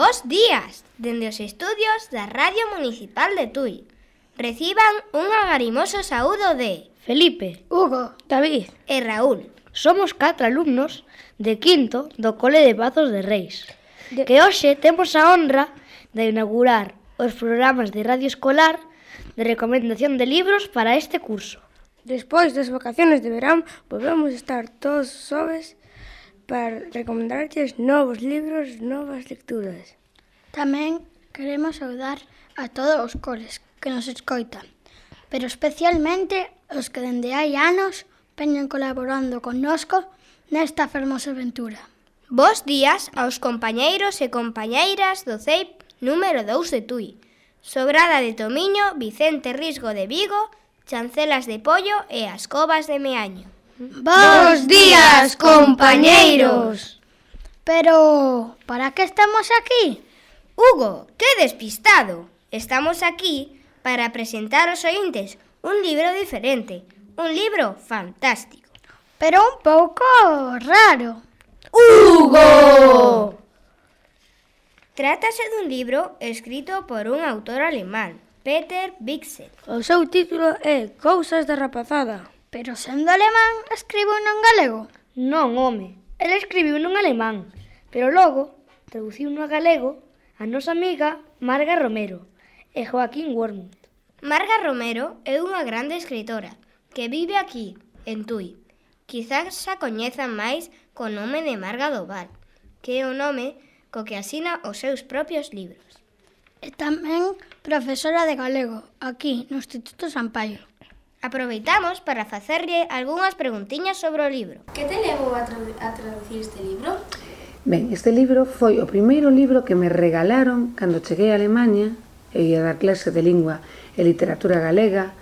Bos días, dende os estudios da Radio Municipal de Tui. Reciban un agarimoso saúdo de Felipe, Hugo, David e Raúl. Somos 4 alumnos de quinto do Cole de Pazos de Reis, que hoxe temos a honra de inaugurar os programas de radio escolar de recomendación de libros para este curso. Despois das vacaciones de verán, volvemos estar todos os xoves para recomendarlles novos libros, novas lecturas. Tamén queremos saudar a todos os coles que nos escoitan, pero especialmente os que dende hai anos veñen colaborando connosco nesta fermosa aventura. Bos días aos compañeiros e compañeiras do CEIP número 2 de Tui, Sobrada de Tomiño, Vicente Risgo de Vigo, Chancelas de Pollo e as Covas de Meaño. Bos días, compañeiros! Pero, para que estamos aquí? Hugo, que despistado! Estamos aquí para presentar aos ointes un libro diferente, un libro fantástico. Pero un pouco raro. ¡Hugo! Trátase dun libro escrito por un autor alemán, Peter Bichsel. O seu título é Cousas da rapazada. Pero sendo alemán, escribo en galego? Non, home, el escribiu en alemán, pero logo traduciu no galego a nosa amiga Marga Romero e Joaquín Wormuth. Marga Romero é unha grande escritora que vive aquí, en Tui. Quizás xa coñezan máis co nome de Marga do Val, que é o nome co que asina os seus propios libros. E tamén profesora de galego, aquí, no Instituto Sampaio. Aproveitamos para facerlle algunhas preguntiñas sobre o libro. Que te levou a traducir este libro? Ben, este libro foi o primeiro libro que me regalaron cando cheguei a Alemaña. Eu ia dar clase de lingua e literatura galega.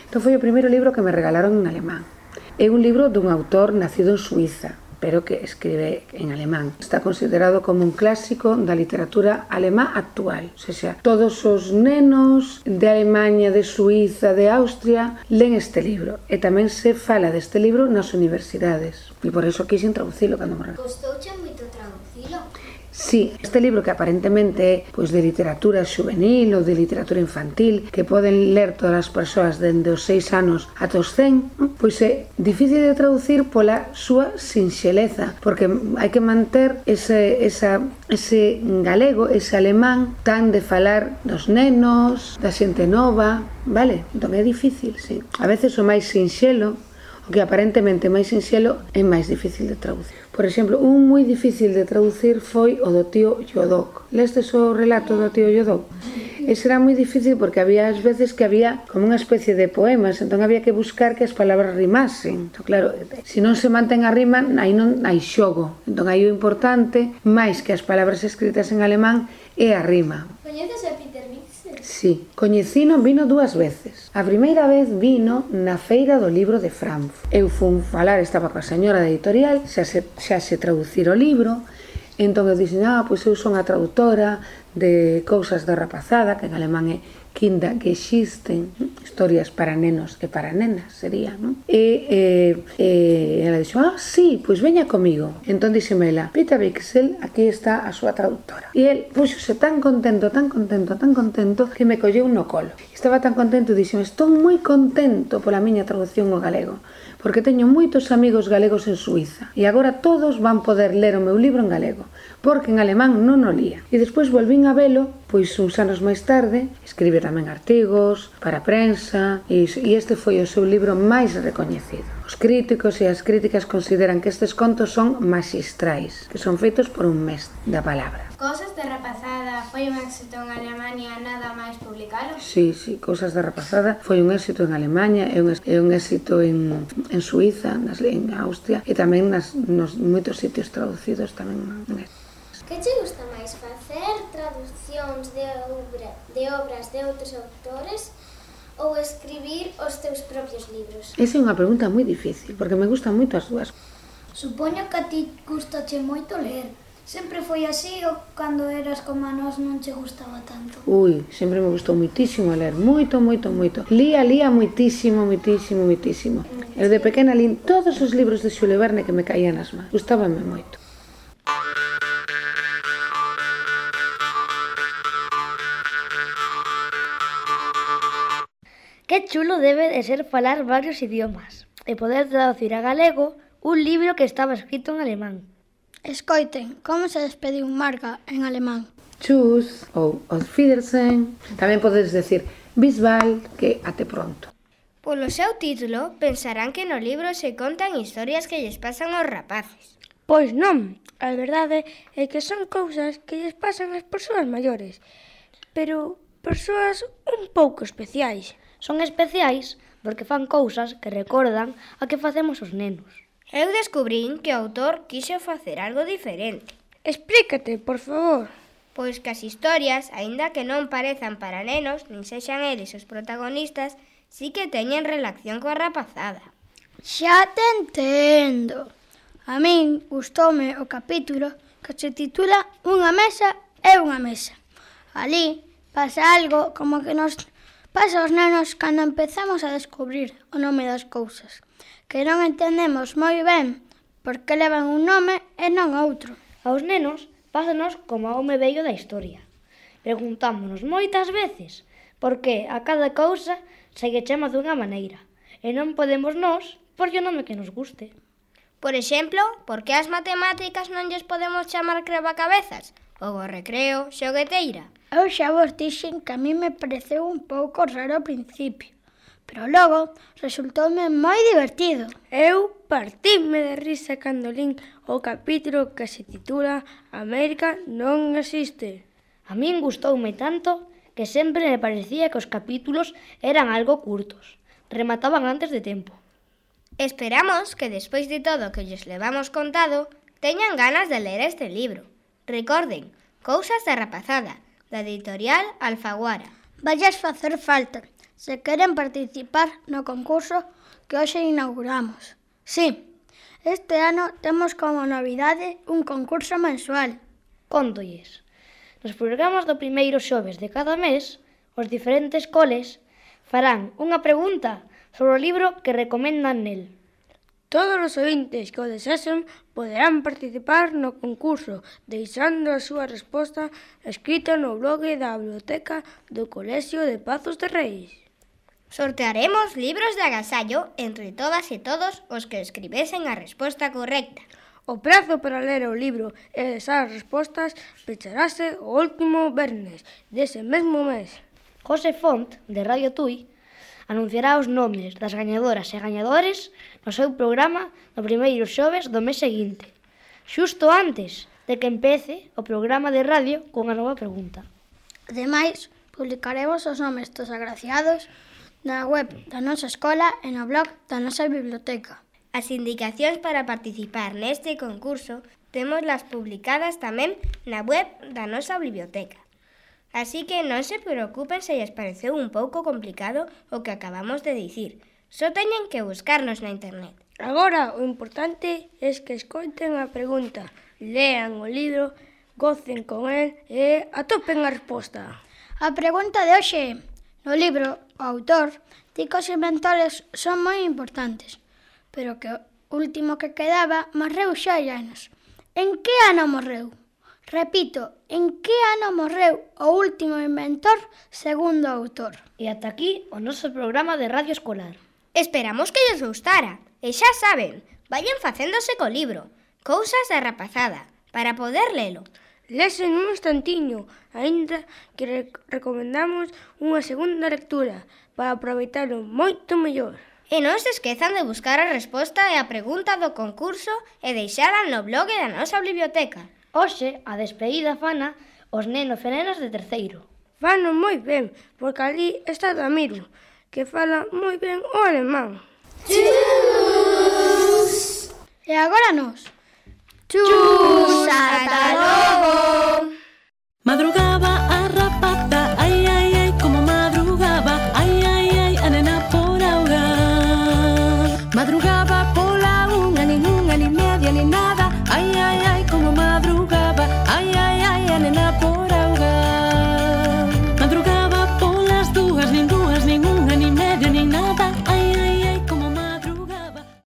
Entón foi o primeiro libro que me regalaron en alemán. É un libro dun autor nacido en Suiza, pero que escribe en alemán. Está considerado como un clásico da literatura alemá actual. O sea, todos os nenos de Alemaña, de Suiza, de Austria len este libro. E tamén se fala deste libro nas universidades. E por eso quixen traducilo cando me regalaron. Costouche moito traducilo? Sí, este libro que aparentemente é de literatura xuvenil ou de literatura infantil que poden ler todas as persoas dende os 6 anos ata os 100, pois é difícil de traducir pola súa sinxeleza, porque hai que manter ese galego, ese alemán tan de falar dos nenos, da xente nova, vale? Entón é difícil, sí. A veces o máis sinxelo, o que aparentemente é máis sinxelo, é máis difícil de traducir. Por exemplo, un moi difícil de traducir foi o do tío Yodok. Lestes o relato do tío Yodok? Ese era moi difícil porque había as veces que había como unha especie de poemas, entón había que buscar que as palabras rimasen. Entón, claro, se non se mantén a rima, aí non hai xogo. Entón, aí o importante, máis que as palabras escritas en alemán, é a rima. Coñeces a Peter Bichsel? Sí, coñecino, vino 2 veces. A primeira vez vino na feira do libro de Frankfurt. Eu fun falar, estaba coa señora da editorial, xa se traducir o libro, entón eu dixen, pois eu son a traductora de Cousas da rapazada, que en alemán é Kindergeschichten, historias para nenos e para nenas, sería, non? E ela dixo, sí, pois veña comigo. Entón dixeme ela, Peter Bichsel, aquí está a súa traductora. E el puxose tan contento, que me colleu no colo. Estaba tan contento e dixeme, estou moi contento pola miña traducción ao galego, porque teño moitos amigos galegos en Suiza, e agora todos van poder ler o meu libro en galego, porque en alemán non o lía. E despois volvín a velo, pois uns anos máis tarde, escribe tamén artigos para a prensa, e este foi o seu libro máis recoñecido. Os críticos e as críticas consideran que estes contos son maxistrais, que son feitos por un mestre da palabra. Cousas da rapazada foi un éxito en Alemania, nada máis publicalo? Sí, Cousas da rapazada foi un éxito en Alemania, é un éxito en Suiza, en Austria, e tamén nos moitos sitios traducidos tamén. Que che gusta máis, facer traduccións de obras de outros autores ou escribir os teus propios libros? Esa é unha pregunta moi difícil, porque me gustan moito as dúas. Supoño que a ti gustache moito ler. Sempre foi así ou cando eras como a nós non che gustaba tanto? Sempre me gustou moitísimo ler, moito. Lía moitísimo. Eu de pequena lín todos os libros de Xules Verne que me caían nas mans. Gustábame moito. Que chulo debe de ser falar varios idiomas e poder traducir a galego un libro que estaba escrito en alemán. Escoiten, como se despediu Marga en alemán? Tschüss ou Auf Wiedersehen. Tamén podes decir bis bald, que até pronto. Polo seu título, pensarán que no libro se contan historias que lles pasan aos rapaces. Pois non, a verdade é que son cousas que lles pasan ás persoas maiores, pero persoas un pouco especiais. Son especiais porque fan cousas que recordan a que facemos os nenos. Eu descubrín que o autor quixo facer algo diferente. Explícate, por favor. Pois que as historias, aínda que non parezan para nenos, nin sexan eles os protagonistas, sí que teñen relación coa rapazada. Xa te entendo. A min gustoume o capítulo que se titula Unha mesa é unha mesa. Ali pasa algo como que nos pasa aos nenos cando empezamos a descubrir o nome das cousas, que non entendemos moi ben por que levan un nome e non outro. Aos nenos pásanos como a home vello da historia. Preguntámonos moitas veces por que a cada cousa se lle chama dunha maneira e non podemos nós por o nome que nos guste. Por exemplo, por que as matemáticas non lles podemos chamar crebacabezas? Ou o recreo, xogueteira? Eu xa vos dixen que a mí me pareceu un pouco raro ao principio, pero logo resultoume moi divertido. Eu partime de risa cando lín o capítulo que se titula América non existe. A min gustoume tanto que sempre me parecía que os capítulos eran algo curtos. Remataban antes de tempo. Esperamos que despois de todo o que lles levamos contado, teñan ganas de ler este libro. Recorden, Cousas da rapazada, da editorial Alfaguara. Vallas facer falta, se queren participar no concurso que hoxe inauguramos. Sí, este ano temos como novidade un concurso mensual. Cóntolles. Nos programas do primeiro xoves de cada mes, os diferentes coles farán unha pregunta sobre o libro que recomendan nel. Todos os ointes que o desexen poderán participar no concurso deixando a súa resposta escrita no blog da Biblioteca do Colexio de Pazos de Reis. Sortearemos libros de agasallo entre todas e todos os que escribesen a resposta correcta. O prazo para ler o libro e esas respostas pecharase o último vernes dese mesmo mes. José Font, de Radio Tui, anunciará os nomes das gañadoras e gañadores no seu programa no primeiro xoves do mes seguinte, xusto antes de que empece o programa de radio cunha nova pregunta. Ademais, publicaremos os nomes dos agraciados na web da nosa escola e no blog da nosa biblioteca. As indicacións para participar neste concurso témoslas publicadas tamén na web da nosa biblioteca. Así que non se preocupen se lles pareceu un pouco complicado o que acabamos de dicir. Só teñen que buscarnos na internet. Agora, o importante é que escoiten a pregunta, lean o libro, gocen con el e atopen a resposta. A pregunta de hoxe, no libro, o autor di que os inventores son moi importantes, pero que o último que quedaba morreu xa hai anos. En que ano morreu? Repito, en que ano morreu o último inventor segundo o autor? E ata aquí o noso programa de radio escolar. Esperamos que lles gustara. E xa saben, vayan facéndose co libro Cousas da rapazada, para poder lelo. Lesen un instantiño, aínda que recomendamos unha segunda lectura para aproveitalo moito mellor. E non se esquezan de buscar a resposta e a pregunta do concurso e deixala no blog da nosa biblioteca. Hoxe, a despedida fana os nenos e nenas de terceiro. Fano moi ben, porque ali está Ramiro, que fala moi ben o alemán. Tschüss! E agora nos. Tschüss! Ata logo! Madrugaba